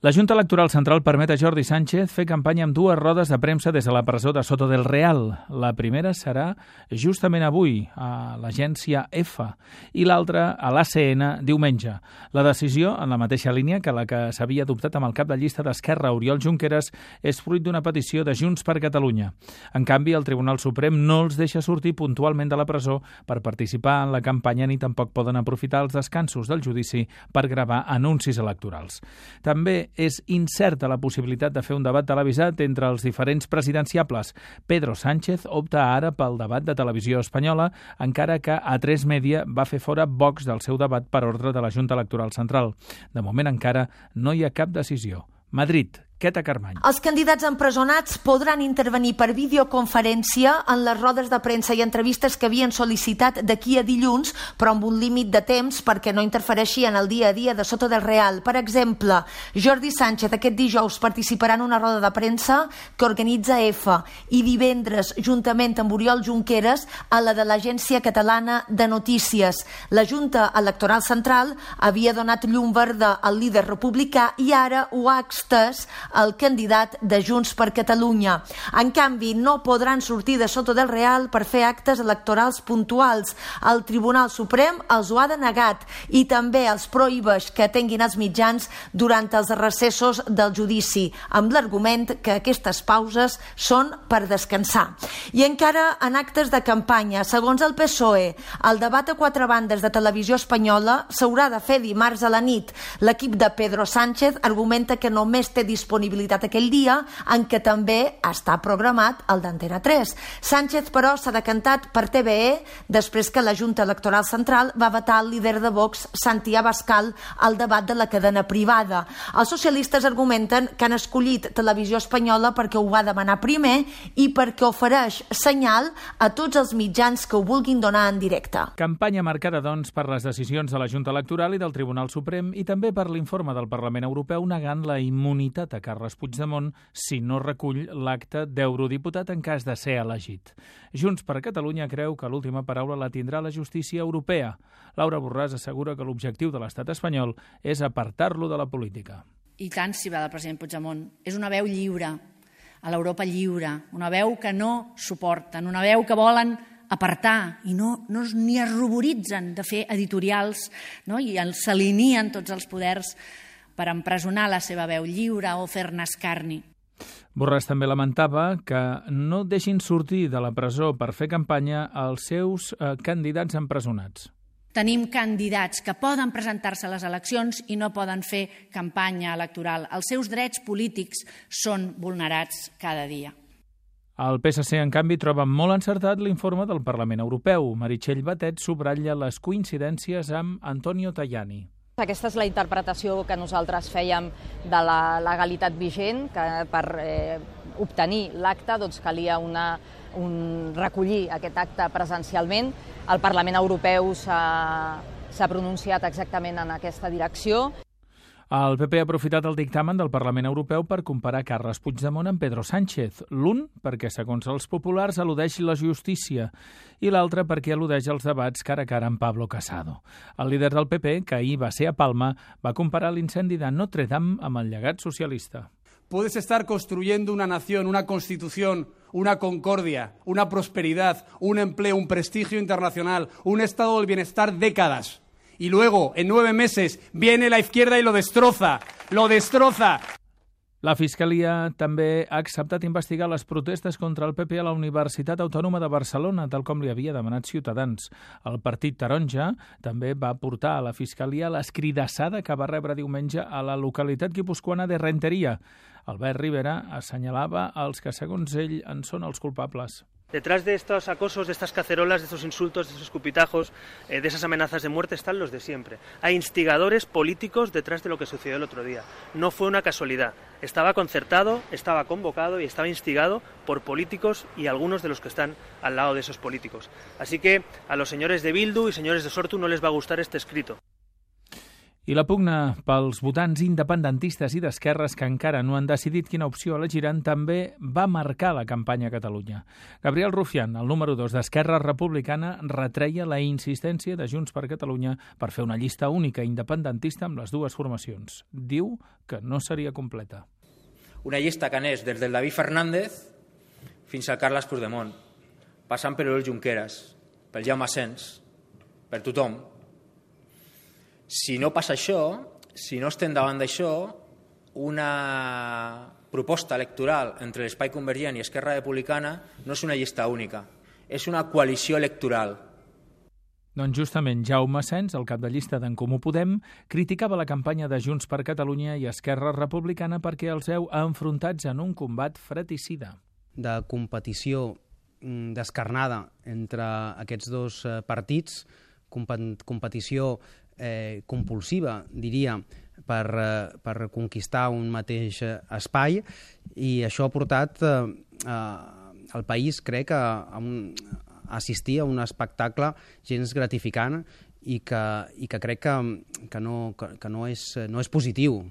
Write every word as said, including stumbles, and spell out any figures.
La Junta Electoral Central permet a Jordi Sánchez fer campanya amb dues rodes de premsa des de la presó de Soto del Real. La primera serà justament avui, a l'agència F, i l'altra a l'A C N diumenge. La decisió, en la mateixa línia que la que s'havia adoptat amb el cap de llista d'Esquerra, Oriol Junqueras, és fruit d'una petició de Junts per Catalunya. En canvi, el Tribunal Suprem no els deixa sortir puntualment de la presó per participar en la campanya ni tampoc poden aprofitar els descansos del judici per gravar anuncis electorals. També és incerta la possibilitat de fer un debat televisat entre els diferents presidenciables. Pedro Sánchez opta ara pel debat de Televisió Espanyola, encara que A tres Media va fer fora Vox del seu debat per ordre de la Junta Electoral Central. De moment encara no hi ha cap decisió. Madrid. Queta Carmany. Els candidats empresonats podran intervenir per videoconferència en les rodes de premsa i entrevistes que havien sol·licitat d'aquí a dilluns, però amb un límit de temps perquè no interfereixi en el dia a dia de Soto del Real. Per exemple, Jordi Sánchez aquest dijous participarà en una roda de premsa que organitza F i divendres, juntament amb Oriol Junqueras, a la de l'Agència Catalana de Notícies. La Junta Electoral Central havia donat llum verda al líder republicà i ara ho ha extès el candidat de Junts per Catalunya. En canvi, no podran sortir de Soto del Real per fer actes electorals puntuals. El Tribunal Suprem els ho ha denegat i també els prohibeix que atenguin els mitjans durant els recessos del judici, amb l'argument que aquestes pauses són per descansar. I encara en actes de campanya, segons el P S O E, el debat a quatre bandes de Televisió Espanyola s'haurà de fer dimarts a la nit. L'equip de Pedro Sánchez argumenta que només té disponibilitat aquell dia en què també està programat el d'Antena tres. Sánchez, però, s'ha decantat per T V E després que la Junta Electoral Central va vetar el líder de Vox, Santi Abascal, al debat de la cadena privada. Els socialistes argumenten que han escollit Televisió Espanyola perquè ho va demanar primer i perquè ofereix senyal a tots els mitjans que ho vulguin donar en directe. Campanya marcada, doncs, per les decisions de la Junta Electoral i del Tribunal Suprem i també per l'informe del Parlament Europeu negant la immunitat a Carles Puigdemont si no recull l'acte d'eurodiputat en cas de ser elegit. Junts per Catalunya creu que l'última paraula la tindrà la justícia europea. Laura Borràs assegura que l'objectiu de l'estat espanyol és apartar-lo de la política. I tant si va del president Puigdemont. És una veu lliure, a l'Europa lliure, una veu que no suporten, una veu que volen apartar i no, no ni es ruboritzen de fer editorials, no? I s'alineen tots els poders per empresonar la seva veu lliure o fer-ne escarni. Borràs també lamentava que no deixin sortir de la presó per fer campanya els seus eh, candidats empresonats. Tenim candidats que poden presentar-se a les eleccions i no poden fer campanya electoral. Els seus drets polítics són vulnerats cada dia. El P S C, en canvi, troba molt encertat l'informe del Parlament Europeu. Meritxell Batet subratlla les coincidències amb Antonio Tajani. Aquesta és la interpretació que nosaltres fèiem de la legalitat vigent, que per eh, obtenir l'acte doncs, calia una, un, recollir aquest acte presencialment. El Parlament Europeu s'ha pronunciat exactament en aquesta direcció. El P P ha aprofitat el dictamen del Parlament Europeu per comparar Carles Puigdemont amb Pedro Sánchez. L'un perquè, segons els populars, al·ludeix la justícia i l'altre perquè al·ludeix els debats cara a cara amb Pablo Casado. El líder del P P, que ahir va ser a Palma, va comparar l'incendi de Notre Dame amb el llegat socialista. Puedes estar construyendo una nación, una constitución, una concordia, una prosperidad, un empleo, un prestigio internacional, un estado del bienestar décadas. Y luego, en nueve meses, viene la izquierda y lo destroza, lo destroza. La Fiscalia també ha acceptat investigar les protestes contra el P P a la Universitat Autònoma de Barcelona, tal com li havia demanat Ciutadans. El Partit Taronja també va portar a la Fiscalia l'escridassada que va rebre diumenge a la localitat guipuscoana de Renteria. Albert Rivera assenyalava els que, segons ell, en són els culpables. Detrás de estos acosos, de estas cacerolas, de estos insultos, de estos escupitajos, eh, de esas amenazas de muerte están los de siempre. Hay instigadores políticos detrás de lo que sucedió el otro día. No fue una casualidad. Estaba concertado, estaba convocado y estaba instigado por políticos y algunos de los que están al lado de esos políticos. Así que a los señores de Bildu y señores de Sortu no les va a gustar este escrito. I la pugna pels votants independentistes i d'esquerres que encara no han decidit quina opció elegiran també va marcar la campanya a Catalunya. Gabriel Rufián, el número dos d'Esquerra Republicana, retreia la insistència de Junts per Catalunya per fer una llista única independentista amb les dues formacions. Diu que no seria completa. Una llista que anés des del David Fernández fins al Carles Puigdemont, passant per l'Oriol Junqueras, pel Jaume Asens, per tothom. Si no passa això, si no estem davant d'això, una proposta electoral entre l'Espai Convergent i Esquerra Republicana no és una llista única, és una coalició electoral. Doncs justament Jaume Asens, el cap de llista d'En Comú Podem, criticava la campanya de Junts per Catalunya i Esquerra Republicana perquè els veu enfrontats en un combat fratricida. De competició descarnada entre aquests dos partits, competició eh, compulsiva, diria, per, eh, per conquistar un mateix espai, i això ha portat eh, el país, crec, a, a, un, a assistir a un espectacle gens gratificant i que, i que crec que, que, no, que, que no, és, no és positiu